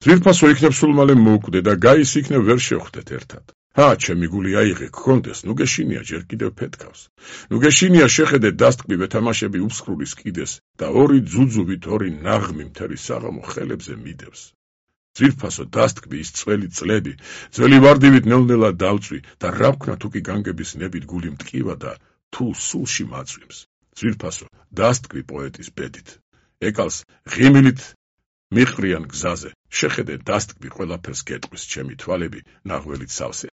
ძვირფასო იქნებ სულ მალე მოუკვდე და გაის იქნებ ვერ შევხვდეთ ერთად. ჩემი გული აიღე გქონდეს, ნუ გეშინია ჯერ კიდევ ფეთქავს. ნუ გეშინია შეხედე დასტკბი ვეთამაშები უსხრულის კიდეს და ორი ძუძუვით ორი ნაღმი მთელი საღამო ხელებზე მიდევს. ძვირფასო დასტკბი ის წველი წლები, ძველი ვარდივით ნელ-ნელა დავწვი და რა ვქნა თუ კი განგების ნებით გული მტკივა და თუ სულში მაწვიმს. ძვირფასო დასტკბი პოეტის ბედით. ეკალს ღიმილით მიყრიან გზაზე, შეხედე დასტკბი ყველაფერს გეტყვის ჩემი თვალები ნაღველით სავსე